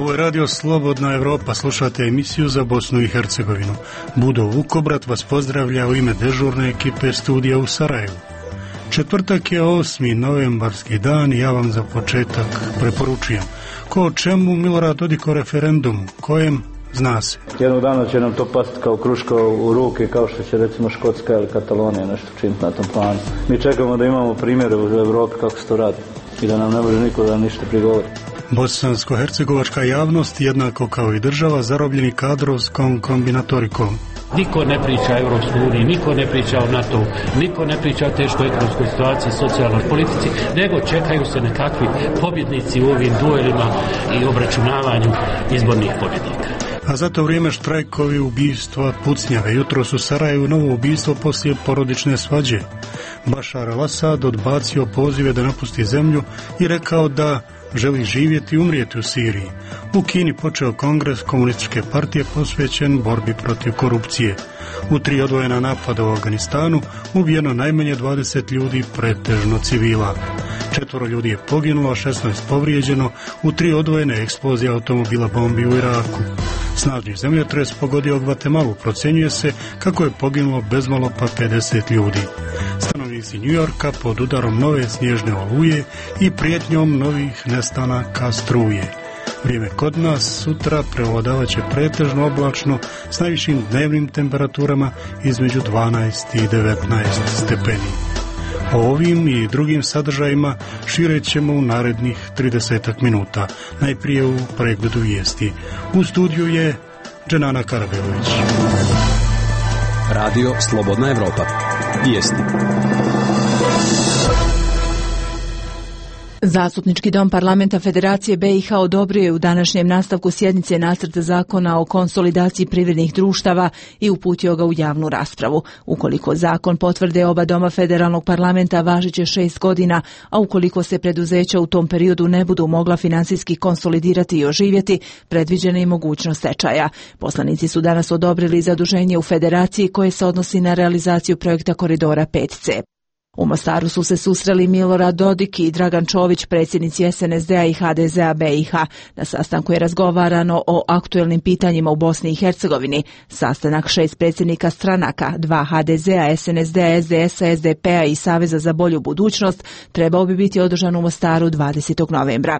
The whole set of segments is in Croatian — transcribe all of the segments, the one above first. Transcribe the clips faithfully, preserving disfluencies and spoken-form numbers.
Ovo je Radio Slobodna Evropa, slušate emisiju za Bosnu i Hercegovinu. Budo Vukobrat vas pozdravlja u ime dežurne ekipe studija u Sarajevu. Četvrtak je osmi novembarski dan i ja vam za početak preporučujem. Ko o čemu Milorad Dodik o referendumu, kojem zna se. Jednog dana će nam to pasti kao kruška u ruke, kao što će recimo Škotska ili Katalonija nešto činiti na tom planu. Mi čekamo da imamo primjere u Evropi kako se to radi i da nam ne može niko da ništa prigovori. Bosansko-hercegovačka javnost, jednako kao i država, zarobljeni kadrovskom kombinatorikom. Niko ne priča o Europskoj uniji, niko ne priča o NATO, niko ne priča o teškoj ekonomskoj situaciji, socijalnoj politici, nego čekaju se nekakvi pobjednici u ovim duelima i obračunavanju izbornih pobjednika. A za to vrijeme štrajkovi, ubistva, pucnjave. Jutros u Sarajevu novo ubistvo poslije porodične svađe. Bašar al-Asad odbacio pozive da napusti zemlju i rekao da želi živjeti i umrijeti u Siriji. U Kini počeo kongres komunističke partije posvećen borbi protiv korupcije. U tri odvojena napada u Afganistanu ubijeno najmanje dvadeset ljudi, pretežno civila. Četvoro ljudi je poginulo, a šesnaest povrijeđeno u tri odvojene eksplozije automobila bombi u Iraku. Snažni zemljotres pogodio Gvatemalu, procjenjuje se kako je poginulo bezmalo pa pedeset ljudi. Stanovnici New Yorka pod udarom nove snježne oluje i prijetnjom novih nestanaka struje. Vrijeme kod nas sutra prevladavat će pretežno oblačno s najvišim dnevnim temperaturama između dvanaest i devetnaest stepeni. O ovim i drugim sadržajima šire ćemo u narednih tridesetak minuta. Najprije u pregledu vijesti. U studiju je Dženana Karabelović. Radio Slobodna Evropa. Vijesti. Zastupnički dom parlamenta Federacije B i H odobrio je u današnjem nastavku sjednice nacrt zakona o konsolidaciji privrednih društava i uputio ga u javnu raspravu. Ukoliko zakon potvrde oba doma federalnog parlamenta, važit će šest godina, a ukoliko se preduzeća u tom periodu ne budu mogla financijski konsolidirati i oživjeti, predviđena je mogućnost stečaja. Poslanici su danas odobrili zaduženje u Federaciji koje se odnosi na realizaciju projekta Koridora pet C. U Mostaru su se susreli Milorad Dodik i Dragan Čović, predsjednici S N S D-a i H D Z-a B i H. Na sastanku je razgovarano o aktuelnim pitanjima u Bosni i Hercegovini. Sastanak šest predsjednika stranaka, dva H D Z-a, S N S D-a, S D S-a, S D P-a i Saveza za bolju budućnost, trebao bi biti održan u Mostaru dvadesetog novembra.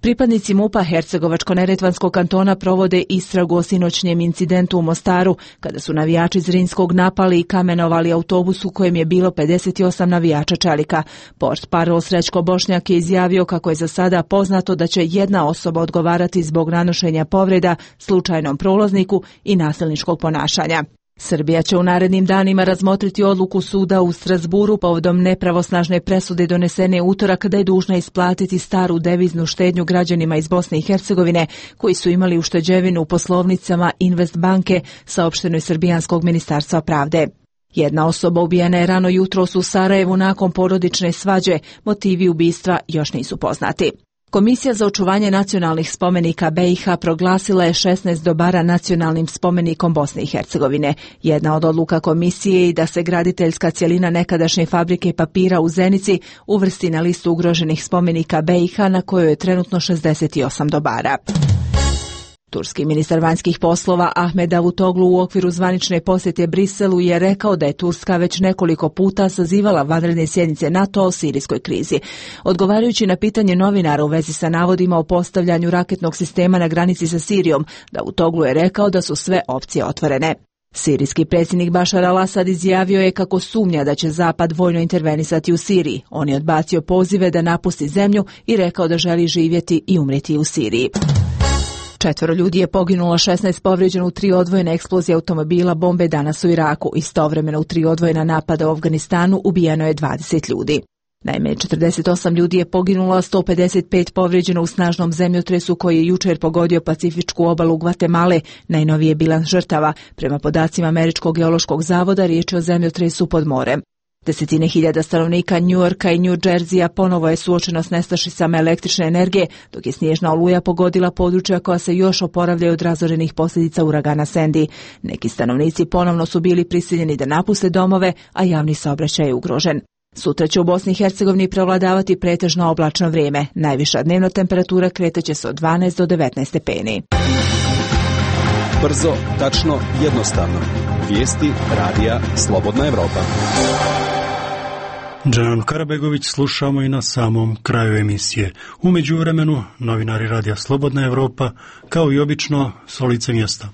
Pripadnici MUP-a Hercegovačko-neretvanskog kantona provode istragu o sinoćnjem incidentu u Mostaru, kada su navijači Zrinskog napali i kamenovali autobus u kojem je bilo pedeset osam navijača Čelika. Portparol Srećko Bošnjak je izjavio kako je za sada poznato da će jedna osoba odgovarati zbog nanošenja povreda slučajnom prolazniku i nasilničkog ponašanja. Srbija će u narednim danima razmotriti odluku suda u Strasburu povodom nepravosnažne presude donesene utorak da je dužna isplatiti staru deviznu štednju građanima iz Bosne i Hercegovine koji su imali ušteđevinu u poslovnicama Invest banke, saopšteno je Srbijanskog ministarstva pravde. Jedna osoba ubijena je rano jutros u Sarajevu nakon porodične svađe, motivi ubistva još nisu poznati. Komisija za očuvanje nacionalnih spomenika B i H proglasila je šesnaest dobara nacionalnim spomenikom Bosne i Hercegovine. Jedna od odluka komisije je da se graditeljska cjelina nekadašnje fabrike papira u Zenici uvrsti na listu ugroženih spomenika B i H na kojoj je trenutno šezdeset osam dobara. Turski ministar vanjskih poslova Ahmed Davutoglu u okviru zvanične posjete Briselu je rekao da je Turska već nekoliko puta sazivala vanredne sjednice NATO o sirijskoj krizi. Odgovarajući na pitanje novinara u vezi sa navodima o postavljanju raketnog sistema na granici sa Sirijom, Davutoglu je rekao da su sve opcije otvorene. Sirijski predsjednik Bašar al-Asad izjavio je kako sumnja da će Zapad vojno intervenisati u Siriji. On je odbacio pozive da napusti zemlju i rekao da želi živjeti i umrijeti u Siriji. Četvoro ljudi je poginulo, šesnaest povrijeđeno u tri odvojene eksplozije automobila bombe danas u Iraku. Istovremeno u tri odvojena napada u Afganistanu ubijeno je dvadeset ljudi. Najmanje četrdeset osam ljudi je poginulo, a sto pedeset pet povrijeđeno u snažnom zemljotresu koji je jučer pogodio Pacifičku obalu Gvatemale, najnovije bilans žrtava. Prema podacima Američkog geološkog zavoda riječ je o zemljotresu pod morem. Desetine hiljada stanovnika New Yorka i New Jerseya ponovo je suočeno s nestašicama električne energije, dok je snježna oluja pogodila područja koja se još oporavljaju od razorenih posljedica uragana Sandy. Neki stanovnici ponovno su bili prisiljeni da napuste domove, a javni saobraćaj je ugrožen. Sutra će u Bosni i Hercegovini prevladavati pretežno oblačno vrijeme. Najviša dnevna temperatura kretaće se od dvanaest do devetnaest stepeni. Brzo, tačno, jednostavno. Vijesti radija Slobodna Evropa. Dženan Karabegović slušamo i na samom kraju emisije. U međuvremenu, novinari radija Slobodna Evropa, kao i obično, s lice mjesta.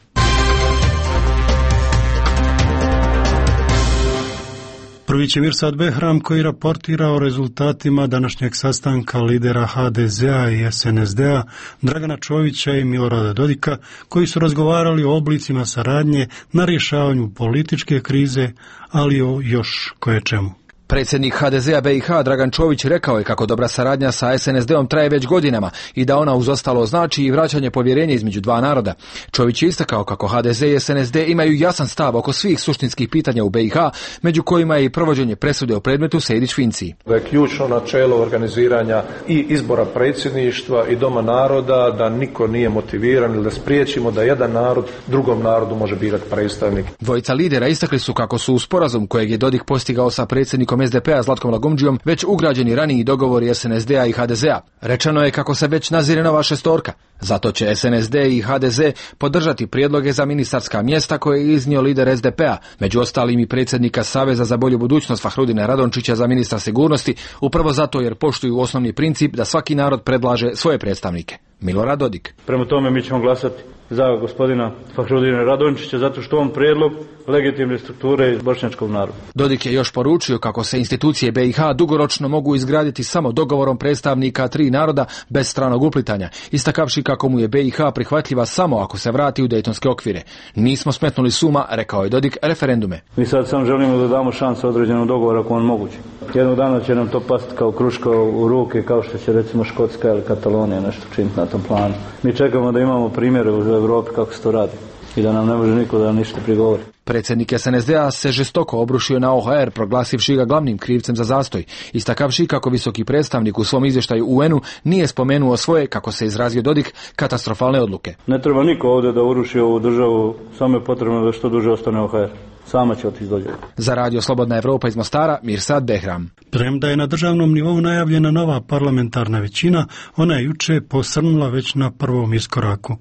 Prvi će Mirsad Behram koji raportira o rezultatima današnjeg sastanka lidera ha de zea i es en es de a Dragana Čovića i Milorada Dodika koji su razgovarali o oblicima saradnje na rješavanju političke krize, ali o još koječemu. Predsjednik ha de zea be i ha Dragan Čović rekao je kako dobra saradnja sa es en es de-om traje već godinama i da ona uz ostalo znači i vraćanje povjerenja između dva naroda. Čović je istakao kako ha de ze i es en es de imaju jasan stav oko svih suštinskih pitanja u be i ha, među kojima je i provođenje presude o predmetu Sejdić-Finci. Da je ključno načelo organiziranja i izbora predsjedništva i Doma naroda da niko nije motiviran ili da spriječimo da jedan narod drugom narodu može birati predstavnik. Dvojica lidera istakli su kako su u sporazum kojeg je Dodik postigao sa predsjednikom es de pe a Zlatkom Lagumdžijom već ugrađeni raniji dogovori es en es de-a i ha de zea. Rečeno je kako se već nazire nova šestorka. Zato će es en es de i ha de ze podržati prijedloge za ministarska mjesta koje je iznio lider es de pe a, među ostalim i predsjednika Saveza za bolju budućnost Fahrudina Radončića za ministra sigurnosti, upravo zato jer poštuju osnovni princip da svaki narod predlaže svoje predstavnike. Milorad Dodik. Prema tome mi ćemo glasati za gospodina Fahrudina Radončića zato što on prijedlog legitimne strukture iz bošnjačkog naroda. Dodik je još poručio kako se institucije be i ha dugoročno mogu izgraditi samo dogovorom predstavnika tri naroda bez stranog uplitanja, istakavši kako mu je be i ha prihvatljiva samo ako se vrati u dejtonske okvire. Nismo smetnuli suma, rekao je Dodik, referendume. Mi sad samo želimo da damo šansu određenog dogovora ako on moguće. Jednog dana će nam to pasti kao kruška u ruke, kao što će recimo Škotska ili Katalonija nešto činiti na tom planu. Mi čekamo da imamo primjere u Evropi kako se to radi i da nam ne može niko da ništa prigovori. Predsjednik es en es de-a se žestoko obrušio na o ha er, proglasivši ga glavnim krivcem za zastoj, istakavši kako visoki predstavnik u svom izvještaju u en u nije spomenuo svoje, kako se izrazio Dodik, katastrofalne odluke. Ne treba niko ovdje da uruši ovu državu, samo je potrebno da što duže ostane o ha er. Sama će otići dođe. Za radio Slobodna Evropa iz Mostara, Mirsad Behram. Premda je na državnom nivou najavljena nova parlamentarna većina, ona je juče posrnula već na prvom iskoraku.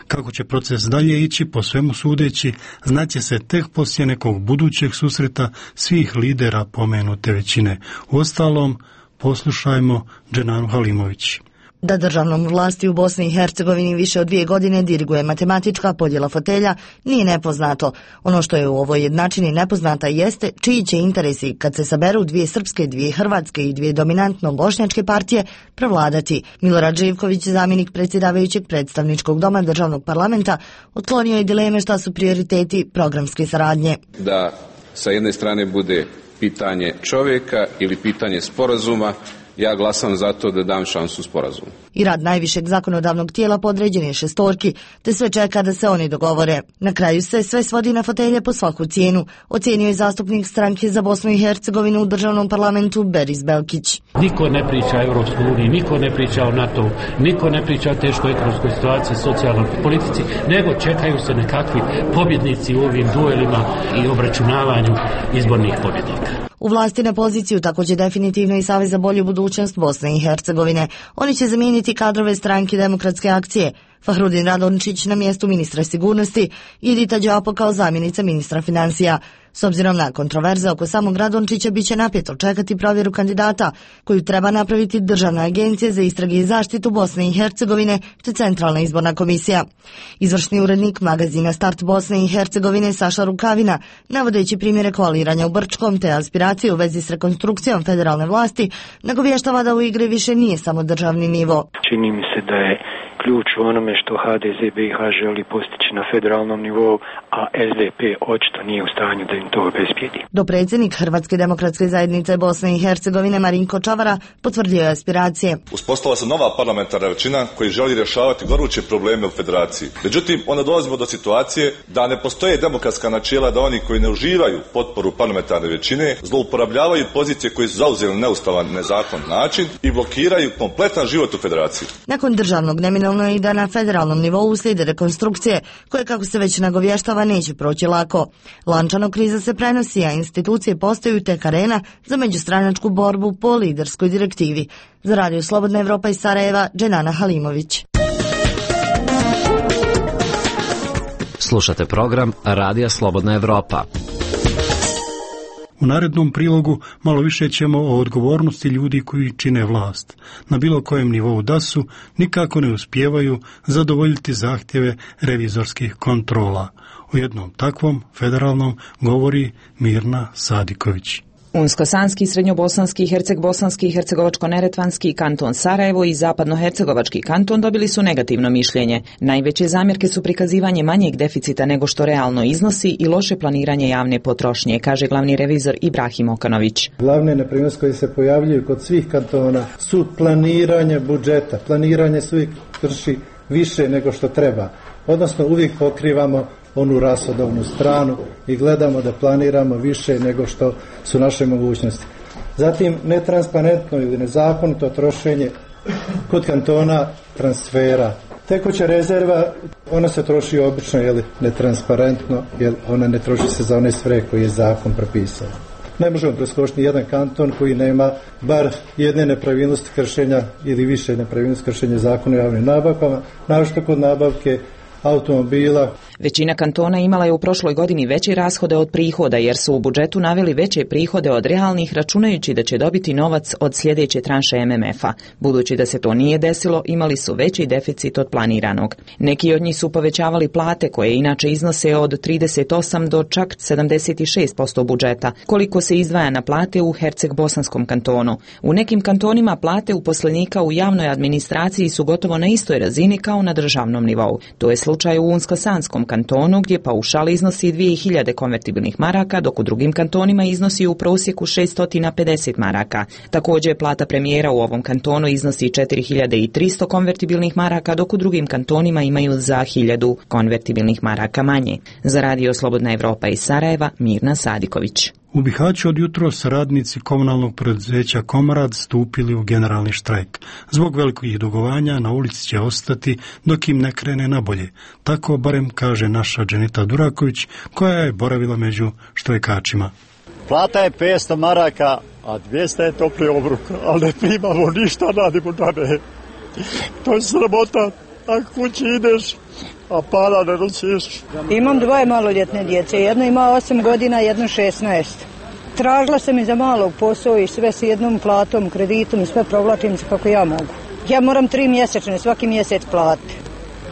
Kako će proces dalje ići, po svemu sudeći, znaće se tek poslije nekog budućeg susreta svih lidera pomenute većine. Uostalom, poslušajmo Dženanu Halimović. Da državnom vlasti u Bosni i Hercegovini više od dvije godine diriguje matematička podjela fotelja nije nepoznato. Ono što je u ovoj jednačini nepoznata jeste čiji će interesi, kad se saberu dvije srpske, dvije hrvatske i dvije dominantno bošnjačke partije, prevladati. Milorad Živković, zamjenik predsjedavajućeg predstavničkog doma državnog parlamenta, otklonio je dileme šta su prioriteti programske saradnje. Da sa jedne strane bude pitanje čovjeka ili pitanje sporazuma, ja glasam za to da dam šansu sporazumu. I rad najvišeg zakonodavnog tijela podređen je šestorki, te sve čeka da se oni dogovore. Na kraju se sve svodi na fotelje po svaku cijenu, ocijenio je zastupnik stranke za Bosnu i Hercegovinu u državnom parlamentu Beris Belkić. Niko ne priča o Europskoj uniji, niko ne priča o NATO, niko ne priča o teškoj ekonomskoj situaciji, socijalnoj politici, nego čekaju se nekakvi pobjednici u ovim duelima i obračunavanju izbornih pobjednika. U vlasti na poziciju također definitivno i Savez za bolju budućnost Bosne i Hercegovine. Oni će zamijeniti kadrove stranke Demokratske akcije. Fahrudin Radončić na mjestu ministra sigurnosti i Edita Đapo kao zamjenica ministra financija. S obzirom na kontroverze oko samog Radončića bit će napeto čekati provjeru kandidata koju treba napraviti Državna agencija za istrage i zaštitu Bosne i Hercegovine te Centralna izborna komisija. Izvršni urednik magazina Start Bosne i Hercegovine Saša Rukavina, navodeći primjere koaliranja u Brčkom te aspiracije u vezi s rekonstrukcijom federalne vlasti, nagovještava da u igri više nije samo državni nivo. Čini mi se da je ključ u onome što ha de ze be i ha želi postići na federalnom nivou, a es de pe očito nije u stanju da im to obezbijedi. Dopredsjednik Hrvatske demokratske zajednice Bosne i Hercegovine Marinko Čavara potvrdio je aspiracije. Uspostavila se nova parlamentarna većina koji želi rješavati goruće probleme u federaciji. Međutim, onda dolazimo do situacije da ne postoje demokratska načela da oni koji ne uživaju potporu parlamentarne većine zlouporabljavaju pozicije koje su zauzeli neustavan, nezakon način i blokiraju kompletan život u federaciji. Nakon državnog neminovno je i da na federalnom nivou uslijede rekonstrukcije koje, kako se već nagovještava, neće proći lako. Lančano kriza kriza se prenosi, a institucije postaju tek arena za međustranačku borbu po liderskoj direktivi. Za Radio Slobodna Evropa iz Sarajeva, Dženana Halimović. Slušate program Radija Slobodna Evropa. U narednom prilogu malo više ćemo o odgovornosti ljudi koji čine vlast. Na bilo kojem nivou da su, nikako ne uspijevaju zadovoljiti zahtjeve revizorskih kontrola. O jednom takvom federalnom govori Mirna Sadiković. Unsko-sanski, srednjobosanski, herceg-bosanski, hercegovačko-neretvanski kanton Sarajevo i zapadno-hercegovački kanton dobili su negativno mišljenje. Najveće zamjerke su prikazivanje manjeg deficita nego što realno iznosi i loše planiranje javne potrošnje, kaže glavni revizor Ibrahim Okanović. Glavne nepravilnosti koje se pojavljuju kod svih kantona su planiranje budžeta. Planiranje se uvijek krši više nego što treba. Odnosno uvijek pokrivamo onu rashodovnu stranu i gledamo da planiramo više nego što su naše mogućnosti. Zatim, netransparentno ili nezakonito trošenje kod kantona transfera. Tekuća rezerva, ona se troši obično, jel, netransparentno, jer ona ne troši se za one svrhe koje je zakon propisao. Ne možemo preskočiti jedan kanton koji nema bar jedne nepravilnosti kršenja ili više nepravilnosti kršenja zakona o javnim nabavkama, naročito kod nabavke automobila. Većina kantona imala je u prošloj godini veće rashode od prihoda jer su u budžetu naveli veće prihode od realnih računajući da će dobiti novac od sljedeće tranše M M F-a. Budući da se to nije desilo, imali su veći deficit od planiranog. Neki od njih su povećavali plate koje inače iznose od trideset osam do čak sedamdeset šest posto budžeta, koliko se izdvaja na plate u Herceg-bosanskom kantonu. U nekim kantonima plate uposlenika u javnoj administraciji su gotovo na istoj razini kao na državnom nivou. To je slučaj u Unsko-sanskom kantonu gdje paušal iznosi dvije hiljade konvertibilnih maraka, dok u drugim kantonima iznosi u prosjeku šesto pedeset maraka. Također plata premijera u ovom kantonu iznosi četiri hiljade tristo konvertibilnih maraka, dok u drugim kantonima imaju za hiljadu konvertibilnih maraka manje. Za Radio Slobodna Evropa iz Sarajeva, Mirna Sadiković. U Bihaću od jutros radnici komunalnog preduzeća Komrad stupili u generalni štrajk. Zbog velikih dugovanja na ulici će ostati dok im ne krene na bolje. Tako barem kaže naša Dženita Duraković koja je boravila među štrajkačima. Plata je petsto maraka, a dvjesto je topli obrok, ali ne primamo ništa, radimo da ne. To je sramota, ako kući ideš, a para ne nosiš. Imam dvoje maloljetne djece, jedno ima osam godina, jedno šesnaest. Tražila sam i za malog posao i sve s jednom platom, kreditom i sve provlačim se kako ja mogu. Ja moram tri mjesečne, svaki mjesec platiti.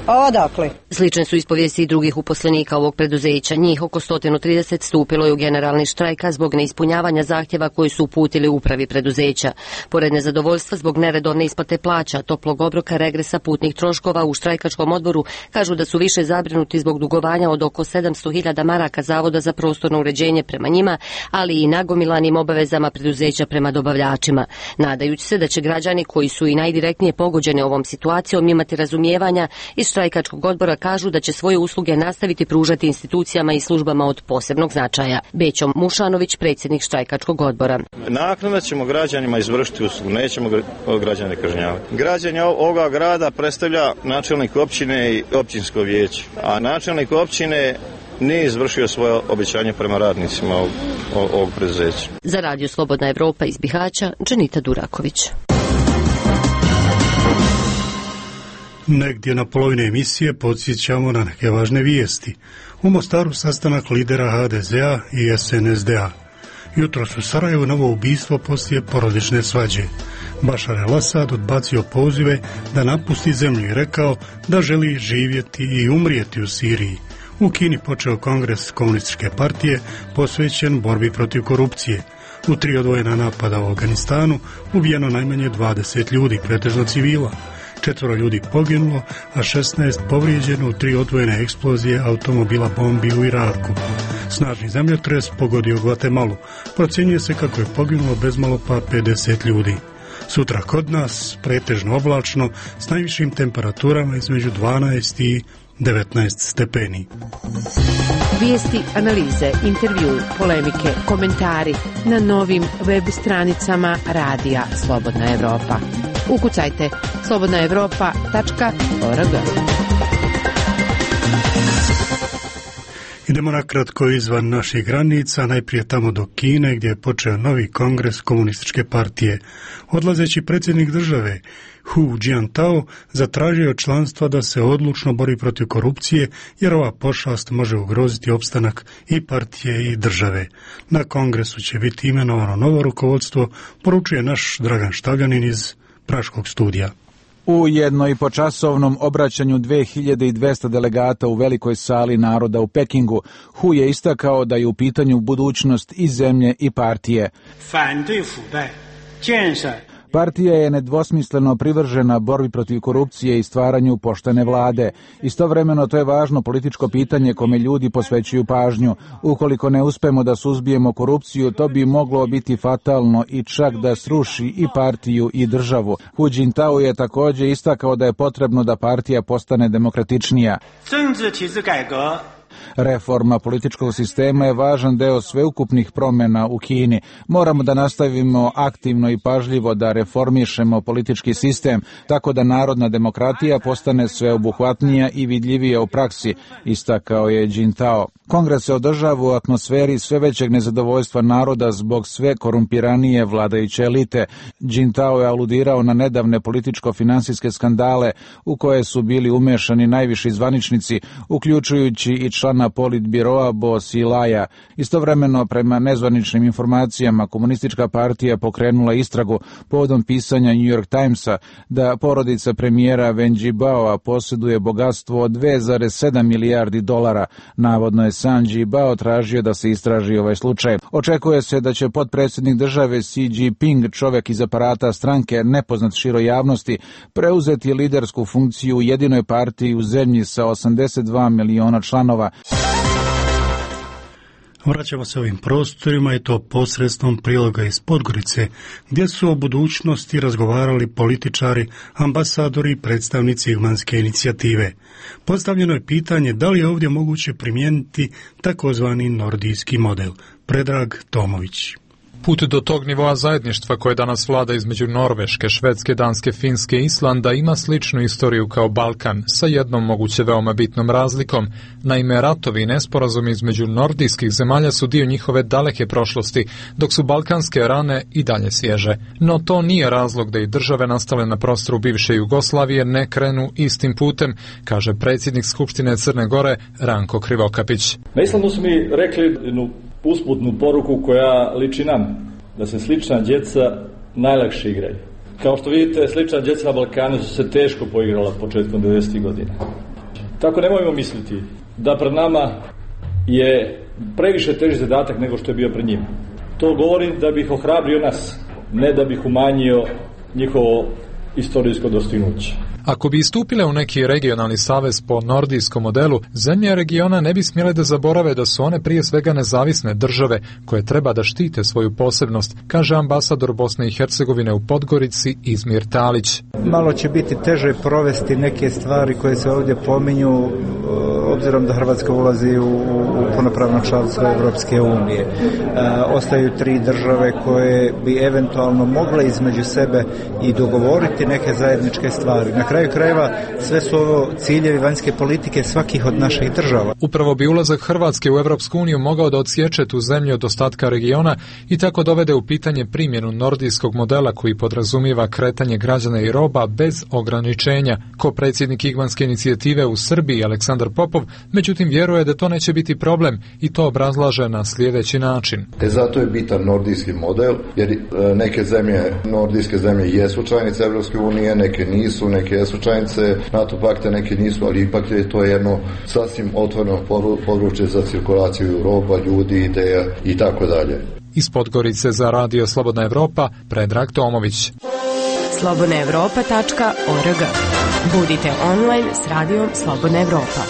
A odakle? Slične su ispovijesti i drugih uposlenika ovog preduzeća. Njih oko sto trideset stupilo je u generalni štrajk zbog neispunjavanja zahtjeva koji su uputili upravi preduzeća. Pored nezadovoljstva zbog neredovne isplate plaća, toplog obroka, regresa, putnih troškova u štrajkačkom odboru kažu da su više zabrinuti zbog dugovanja od oko sedamsto hiljada maraka Zavoda za prostorno uređenje prema njima, ali i nagomilanim obavezama preduzeća prema dobavljačima. Nadajući se da će građani koji su i najdirektnije pogođeni ovom situacijom imati razumijevanja, iz štrajkačkog odbora kažu da će svoje usluge nastaviti pružati institucijama i službama od posebnog značaja. Bećo Mušanović, predsjednik štrajkačkog odbora. Naknadno ćemo građanima izvršiti uslugu, nećemo građane kažnjavati. Građani ovoga grada predstavlja načelnik općine i općinsko vijeće, a načelnik općine nije izvršio svoje obećanje prema radnicima ovog, ovog preduzeća. Za Radio Slobodna Evropa iz Bihaća, Dženita Duraković. Negdje na polovini emisije podsjećamo na neke važne vijesti. U Mostaru sastanak lidera H D Z A i S N S D A. Jutros u Sarajevu novo ubistvo poslije porodične svađe. Bašar el-Asad odbacio pozive da napusti zemlju i rekao da želi živjeti i umrijeti u Siriji. U Kini počeo kongres komunističke partije posvećen borbi protiv korupcije. U tri odvojena napada u Afganistanu ubijeno najmanje dvadeset ljudi, pretežno civila. Četvoro ljudi poginulo, a šesnaest povrijeđeno u tri odvojene eksplozije automobila bombi u Iraku. Snažni zemljotres pogodio Gvatemalu. Procjenjuje se kako je poginulo bezmalo pa pedeset ljudi. Sutra kod nas pretežno oblačno s najvišim temperaturama između dvanaest i devetnaest stepeni. Vijesti, analize, intervju, polemike, komentari na novim web stranicama Radija Slobodna Evropa. Ukucajte slobodna evropa tačka org. Idemo nakratko izvan naših granica, najprije tamo do Kine gdje je počeo novi kongres komunističke partije. Odlazeći predsjednik države Hu Jintao zatražio od članstva da se odlučno bori protiv korupcije jer ova pošast može ugroziti opstanak i partije i države. Na kongresu će biti imenovano novo rukovodstvo, poručuje naš Dragan Štavljanin iz Praškog studija. U jednoipočasovnom obraćanju dve hiljade dvesta delegata u velikoj sali naroda u Pekingu, Hu je istakao da je u pitanju budućnost i zemlje i partije. Partija je nedvosmisleno privržena borbi protiv korupcije i stvaranju poštene vlade. Istovremeno to je važno političko pitanje kome ljudi posvećuju pažnju. Ukoliko ne uspemo da suzbijemo korupciju, to bi moglo biti fatalno i čak da sruši i partiju i državu. Hu Jintao je također istakao da je potrebno da partija postane demokratičnija. Reforma političkog sistema je važan deo sveukupnih promjena u Kini. Moramo da nastavimo aktivno i pažljivo da reformišemo politički sistem, tako da narodna demokratija postane sveobuhvatnija i vidljivija u praksi, istakao je Jintao. Kongres se održava u atmosferi sve većeg nezadovoljstva naroda zbog sve korumpiranije vladajuće elite. Jintao je aludirao na nedavne političko-finansijske skandale u koje su bili umešani najviši zvaničnici, uključujući i člana politbiroa Bo Silaja. Istovremeno, prema nezvaničnim informacijama, komunistička partija pokrenula istragu povodom pisanja New York Timesa da porodica premijera Wen Jiabaoa posjeduje bogatstvo od dve zarez sedam milijardi dolara. Navodno je sam Jiabao tražio da se istraži ovaj slučaj. Očekuje se da će potpredsjednik države Xi Jinping, čovjek iz aparata stranke nepoznat široj javnosti, preuzeti lidersku funkciju u jedinoj partiji u zemlji sa osamdeset dva miliona članova. Vraćamo se ovim prostorima i to posredstvom priloga iz Podgorice, gdje su o budućnosti razgovarali političari, ambasadori i predstavnici Igmanske inicijative. Postavljeno je pitanje da li je ovdje moguće primijeniti takozvani nordijski model. Predrag Tomović. Put do tog nivoa zajedništva koje danas vlada između Norveške, Švedske, Danske, Finske i Islanda ima sličnu istoriju kao Balkan, sa jednom moguće veoma bitnom razlikom. Naime, ratovi i nesporazumi između nordijskih zemalja su dio njihove daleke prošlosti, dok su balkanske rane i dalje svježe. No to nije razlog da i države nastale na prostoru bivše Jugoslavije ne krenu istim putem, kaže predsjednik Skupštine Crne Gore Ranko Krivokapić. Na Islandu su mi rekli jednu usputnu poruku koja liči nam, da se slična djeca najlakše igraju. Kao što vidite, slična djeca na Balkanu su se teško poigrala početkom devedesetih godina. Tako nemojmo misliti da pred nama je previše teži zadatak nego što je bio pred njima. To govorim da bih ohrabrio nas, ne da bih umanjio njihovo istorijsko dostignuće. Ako bi istupile u neki regionalni savez po nordijskom modelu, zemlje regiona ne bi smjele da zaborave da su one prije svega nezavisne države koje treba da štite svoju posebnost, kaže ambasador Bosne i Hercegovine u Podgorici Izmir Talić. Malo će biti teže provesti neke stvari koje se ovdje pominju, obzirom da Hrvatska ulazi u, u punopravno članstvo Evropske unije. E, ostaju tri države koje bi eventualno mogle između sebe i dogovoriti neke zajedničke stvari. Na kraju krajeva sve su ovo ciljevi vanjske politike svakih od naših država. Upravo bi ulazak Hrvatske u Evropsku uniju mogao da odsječe tu zemlju od ostatka regiona i tako dovede u pitanje primjenu nordijskog modela koji podrazumijeva kretanje građana i roba bez ograničenja. Ko predsjednik Igmanske inicijative u Srbiji Aleksandar Popov, međutim vjeruje da to neće biti problem i to obrazlaže na sljedeći način. E zato je bitan nordijski model, jer neke zemlje, nordijske zemlje jesu članice Evropske unije, neke nisu, neke jesu članice NATO pakta, neke nisu, ali ipak je to jedno sasvim otvoreno područje za cirkulaciju roba, ljudi, ideja i tako dalje. Iz Podgorice za Radio Slobodna Evropa, Predrag Tomović. slobodna evropa tačka org. Budite online s Radijom Slobodna Evropa.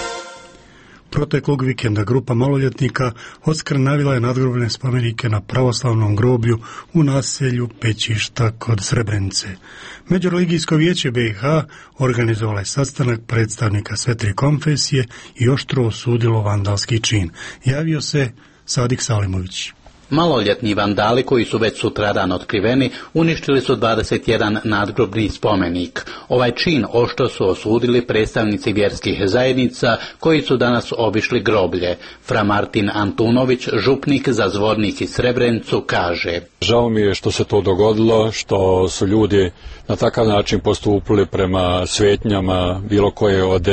Proteklog vikenda grupa maloljetnika odskrnavila je nadgrobne spomenike na pravoslavnom groblju u naselju Pećišta kod Srebrenice. Međureligijsko vijeće B i H organizovalo je sastanak predstavnika sve tri konfesije i oštro osudilo vandalski čin. Javio se Sadik Salimović. Maloljetni vandali koji su već sutradan otkriveni uništili su dvadeset jedan nadgrobni spomenik. Ovaj čin oštro su osudili predstavnici vjerskih zajednica koji su danas obišli groblje. Fra Martin Antunović, župnik za Zvornik i Srebrenicu, kaže: Žao mi je što se to dogodilo, što su ljudi na takav način postupili prema svetnjama bilo koje od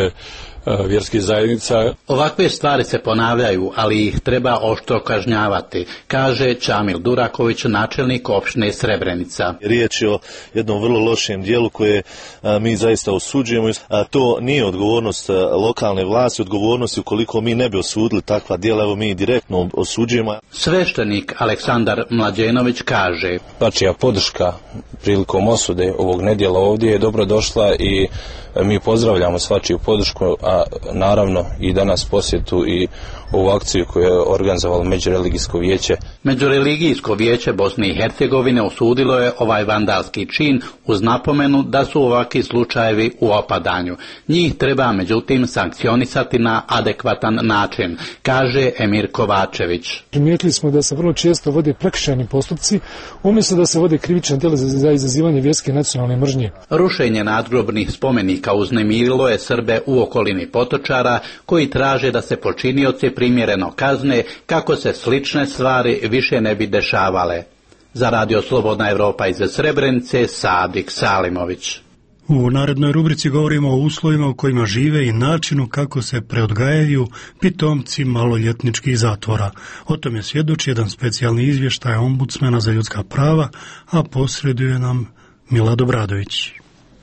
vjerskih zajednica. Ovakve stvari se ponavljaju, ali ih treba oštro kažnjavati, kaže Čamil Duraković, načelnik opštine Srebrenica. Riječ je o jednom vrlo lošem dijelu koje a, mi zaista osuđujemo, a to nije odgovornost a, lokalne vlasti, odgovornost ukoliko mi ne bi osudili takva djela, evo mi direktno osuđujemo. Sveštenik Aleksandar Mlađenović kaže: Pačija podrška prilikom osude ovog nedjela ovdje je dobro došla i mi pozdravljamo svačiju podršku, a naravno i danas posjetu i ovu akciju koju je organizovalo Međureligijsko vijeće. Međureligijsko vijeće Bosne i Hercegovine osudilo je ovaj vandalski čin uz napomenu da su ovakvi slučajevi u opadanju. Njih treba međutim sankcionisati na adekvatan način, kaže Emir Kovačević. Primijetili smo da se vrlo često vode prekršajni postupci, umjesto da se vode krivična djela za izazivanje vjerske nacionalne mržnje. Rušenje nadgrobnih spomenika uznemirilo je Srbe u okolini Potočara, koji traže da se počinioci primjereno kazne kako se slične stvari više ne bi dešavale. Za Radio Slobodna Evropa iz Srebrenice, Sadik Salimović. U narednoj rubrici govorimo o uslovima u kojima žive i načinu kako se preodgajaju pitomci maloljetničkih zatvora. O tome svjedoči jedan specijalni izvještaj ombudsmana za ljudska prava, a posreduje nam Milad Obradović.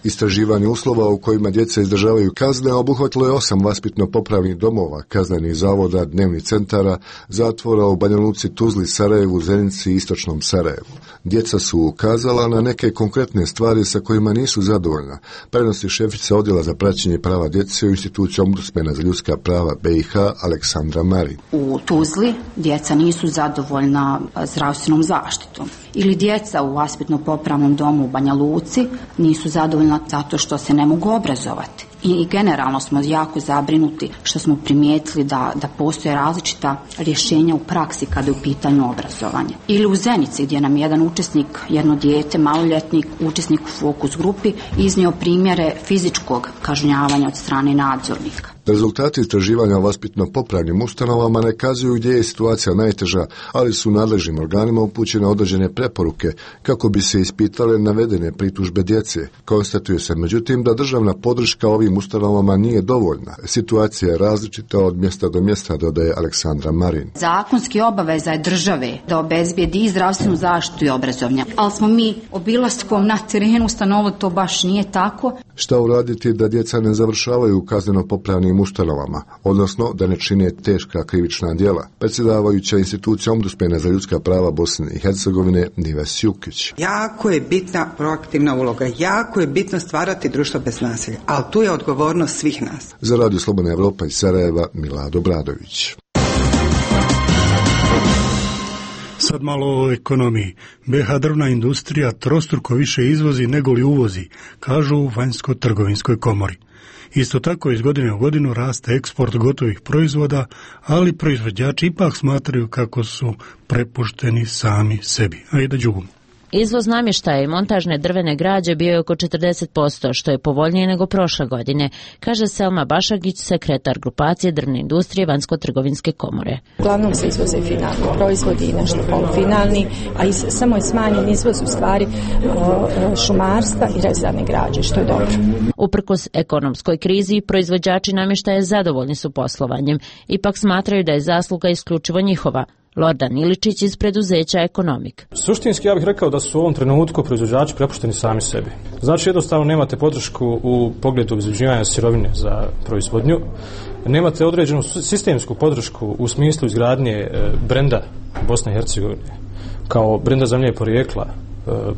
Istraživanje uslova u kojima djeca izdržavaju kazne obuhvatilo je osam vaspitno-popravnih domova, kaznenih zavoda, dnevnih centara, zatvora u Banja Luci, Tuzli, Sarajevu, Zenici i Istočnom Sarajevu. Djeca su ukazala na neke konkretne stvari sa kojima nisu zadovoljna, prenosi šefica odjela za praćenje prava djece u instituciji ombudsmana za ljudska prava B i H Aleksandra Marin. U Tuzli djeca nisu zadovoljna zdravstvenom zaštitom. Ili djeca u vaspitno-popravnom domu u Banja Luci nisu zadovoljna zato što se ne mogu obrazovati. I generalno smo jako zabrinuti što smo primijetili da, da postoje različita rješenja u praksi kada je u pitanju obrazovanja. Ili u Zenici gdje nam jedan učesnik, jedno dijete, maloljetnik, učesnik u fokus grupi iznio primjere fizičkog kažnjavanja od strane nadzornika. Rezultati istraživanja o vaspitno-popravnim ustanovama ne kazuju gdje je situacija najteža, ali su nadležnim organima upućene određene preporuke kako bi se ispitale navedene pritužbe djece. Konstatuje se međutim da državna podrška ovim ustanovama nije dovoljna. Situacija je različita od mjesta do mjesta, dodaje Aleksandra Marin. Zakonski obaveza je države da obezbijedi i zdravstvenu zaštitu i obrazovanje, ali smo mi obilastkom na terenu ustanovili to baš nije tako. Šta uraditi da djeca ne završavaju u kazneno-popravnim ustanovama, odnosno da ne čine teška krivična djela? Predsjedavajuća institucija ombudsmana za ljudska prava Bosne i Hercegovine Nives Jukić. Jako je bitna proaktivna uloga, jako je bitno stvarati društvo bez nasilja, ali tu je odgovornost svih nas. Za Radio Slobodna Evropa iz Sarajeva, Milad Obradović. Sad malo o ekonomiji. B H drvna industrija trostruko više izvozi nego li uvozi, kažu u Vanjsko-trgovinskoj komori. Isto tako iz godine u godinu raste eksport gotovih proizvoda, ali proizvođači ipak smatraju kako su prepušteni sami sebi. Ajde Đugum. Izvoz namještaja i montažne drvene građe bio je oko četrdeset posto, što je povoljnije nego prošle godine, kaže Selma Bašagić, sekretar grupacije drvne industrije Vanjsko-trgovinske komore. Uglavnom se izvoze finalni proizvodi i nešto polufinalni, a is, samo je smanjen izvoz u stvari šumarstva i rezane građe, što je dobro. Uprkos ekonomskoj krizi, proizvođači namještaja zadovoljni su poslovanjem, ipak smatraju da je zasluga isključivo njihova. Lordan Iličić iz preduzeća Ekonomik. Suštinski ja bih rekao da su u ovom trenutku proizvođači prepušteni sami sebi. Znači jednostavno nemate podršku u pogledu obezbeđivanja sirovine za proizvodnju, nemate određenu sistemsku podršku u smislu izgradnje brenda Bosne i Hercegovine kao brenda zemlje porijekla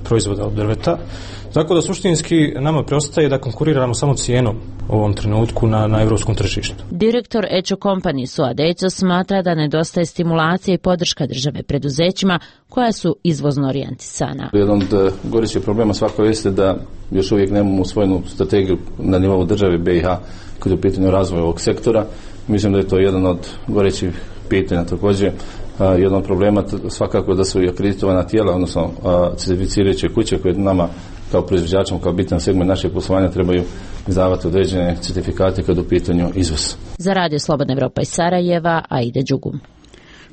proizvoda od drveta. Tako da suštinski nama preostaje da konkuriramo samo cijenom u ovom trenutku na, na evropskom tržištu. Direktor Echo Company Suad Eco smatra da nedostaje stimulacije i podrška države preduzećima koja su izvozno orijentisana. Jedan od gorućih problema svako jeste da još uvijek nemamo usvojenu strategiju na nivou države B i H kada je u pitanju razvoja ovog sektora. Mislim da je to jedan od gorućih pitanja također. Jedan od problema svakako da su i akreditovana tijela, odnosno certificirajuće kuće koje nama kao proizvođačima, kao bitan segment našeg poslovanja trebaju izdavati određene certifikate kad u pitanju izvoz. Za Radio Slobodna Evropa iz Sarajeva, Aida Đugum.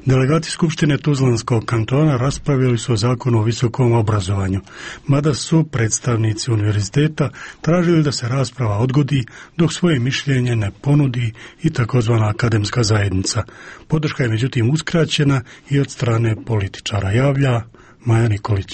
Delegati Skupštine Tuzlanskog kantona raspravili su o zakonu o visokom obrazovanju, mada su predstavnici univerziteta tražili da se rasprava odgodi dok svoje mišljenje ne ponudi i takozvana akademska zajednica. Podrška je međutim uskraćena i od strane političara, javlja Maja Nikolić.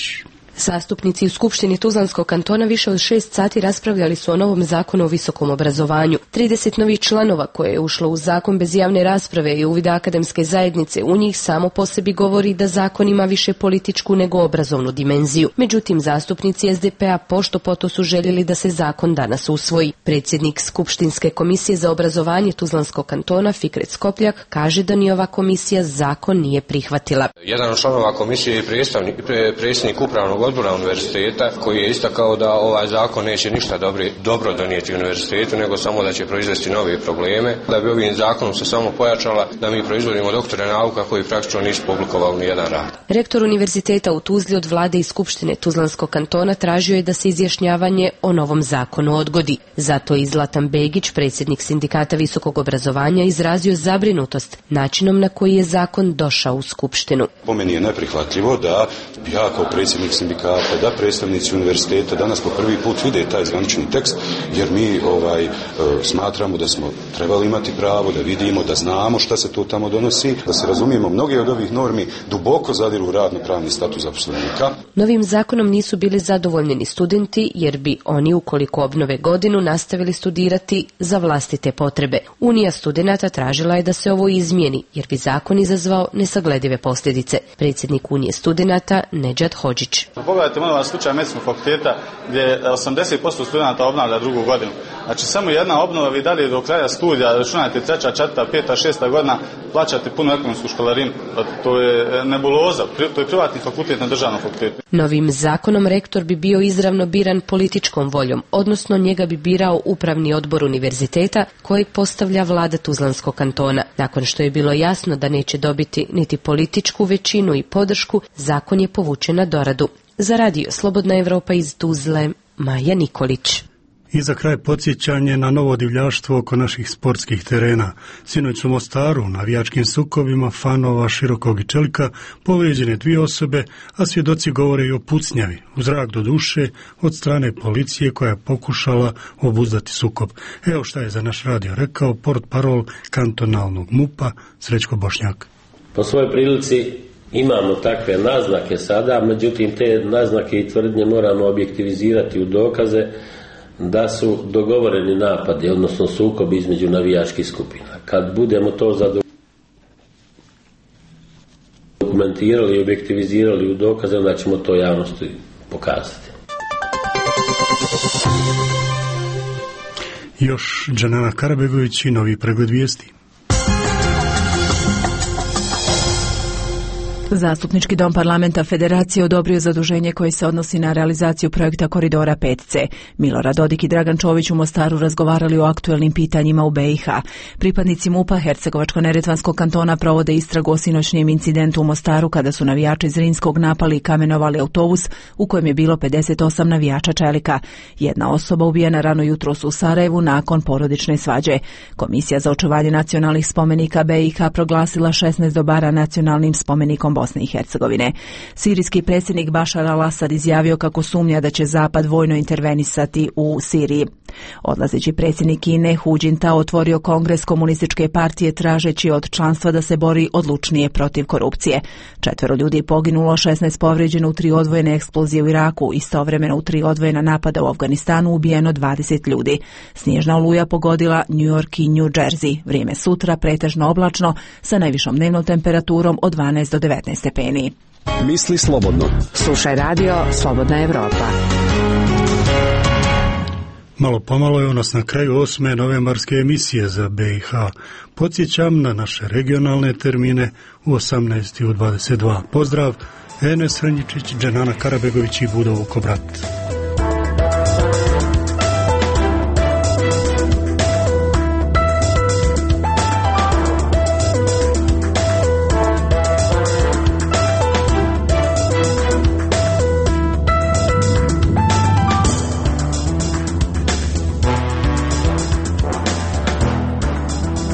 Zastupnici u Skupštini Tuzlanskog kantona više od šest sati raspravljali su o novom zakonu o visokom obrazovanju. trideset novih članova koje je ušlo u zakon bez javne rasprave i uvida akademske zajednice u njih samo po sebi govori da zakon ima više političku nego obrazovnu dimenziju. Međutim, zastupnici es de pe a pošto poto su željeli da se zakon danas usvoji. Predsjednik Skupštinske komisije za obrazovanje Tuzlanskog kantona Fikret Skopljak kaže da ni ova komisija zakon nije prihvatila. Jedan od članova komisije je predsjednik upravnog odbora univerziteta koji je istakao da ovaj zakon neće ništa dobri, dobro donijeti univerzitetu, nego samo da će proizvesti nove probleme. Da bi ovim zakonom se samo pojačala da mi proizvodimo doktore nauka koji praktično nisu publikovali ni jedan rad. Rektor univerziteta u Tuzli od vlade i Skupštine Tuzlanskog kantona tražio je da se izjašnjavanje o novom zakonu odgodi. Zato je Zlatan Begić, predsjednik sindikata visokog obrazovanja, izrazio zabrinutost načinom na koji je zakon došao u Skupštinu. Po meni je neprihvatljivo da ja kao predsjednik sindikata, da predstavnici univerziteta danas po prvi put vide taj zvanični tekst, jer mi ovaj, smatramo da smo trebali imati pravo da vidimo, da znamo šta se to tamo donosi, da se razumijemo, mnoge od ovih normi duboko zadiru u radno-pravni status zaposlenika. Novim zakonom nisu bili zadovoljni ni studenti, jer bi oni, ukoliko obnove godinu, nastavili studirati za vlastite potrebe. Unija studenata tražila je da se ovo izmijeni, jer bi zakon izazvao nesagledive posljedice. Predsjednik Unije studenata Nedžad Hodžić. Pogledajte molim vas slučaj medicinskog fakulteta gdje osamdeset posto studenta obnavlja drugu godinu. Znači samo jedna obnova, vi dalje do kraja studija, računajte treća, četvrta, peta, šesta godina, plaćate punu ekonomsku školarinu. To je nebuloza, to je privatni fakultet na državnom fakultetu. Novim zakonom rektor bi bio izravno biran političkom voljom, odnosno njega bi birao upravni odbor univerziteta kojeg postavlja vlada Tuzlanskog kantona. Nakon što je bilo jasno da neće dobiti niti političku većinu i podršku, zakon je povučen na doradu. Za Radio Slobodna Evropa iz Tuzle, Maja Nikolić. I za kraj podsjećanje na novo divljaštvo oko naših sportskih terena. Sinoć u Mostaru, na navijačkim sukovima fanova Širokog i Čelika, povrijeđene dvije osobe, a svjedoci govore i o pucnjavi, u zrak do duše, od strane policije koja je pokušala obuzdati sukob. Evo šta je za naš radio rekao portparol kantonalnog mupa Srećko Bošnjak. Po svojoj prilici imamo takve naznake sada, međutim te naznake i tvrdnje moramo objektivizirati u dokaze da su dogovoreni napadi, odnosno sukobi između navijačkih skupina. Kad budemo to dokumentirali i objektivizirali u dokaze, onda ćemo to javnosti pokazati. Još Džanana Karabegović i novi pregled vijesti. Zastupnički dom parlamenta Federacije odobrio zaduženje koje se odnosi na realizaciju projekta Koridora pet ce. Milorad Dodik i Dragan Čović u Mostaru razgovarali o aktuelnim pitanjima u be i ha. Pripadnici mupa Hercegovačko-neretvanskog kantona provode istragu o sinoćnjem incidentu u Mostaru kada su navijači Zrinskog napali i kamenovali autobus u kojem je bilo pedeset osam navijača Čelika. Jedna osoba ubijena rano jutros u Sarajevu nakon porodične svađe. Komisija za očuvanje nacionalnih spomenika be i ha proglasila šesnaest dobara nacionalnim spomenikom Bosne i Hercegovine. Sirijski predsjednik Bašar al-Asad izjavio kako sumnja da će Zapad vojno intervenisati u Siriji. Odlazeći predsjednik Kine Hu Jintao otvorio kongres komunističke partije tražeći od članstva da se bori odlučnije protiv korupcije. Četvero ljudi je poginulo, šesnaest povrijeđeno u tri odvojene eksplozije u Iraku, istovremeno u tri odvojena napada u Afganistanu ubijeno dvadeset ljudi. Snježna oluja pogodila New York i New Jersey. Vrijeme sutra pretežno oblačno sa najvišom dnevnom temperaturom od dvanaest do devetnaest stepeni. Misli slobodno. Slušaj Radio Slobodna Evropa. Malo pomalo je nas na kraju osme novembarske emisije za be i ha. Podsjećam na naše regionalne termine u osamnaest i u dvadeset dva. Pozdrav, Enes Hrnjičić, Dženana Karabegović i Budo Vukobrat.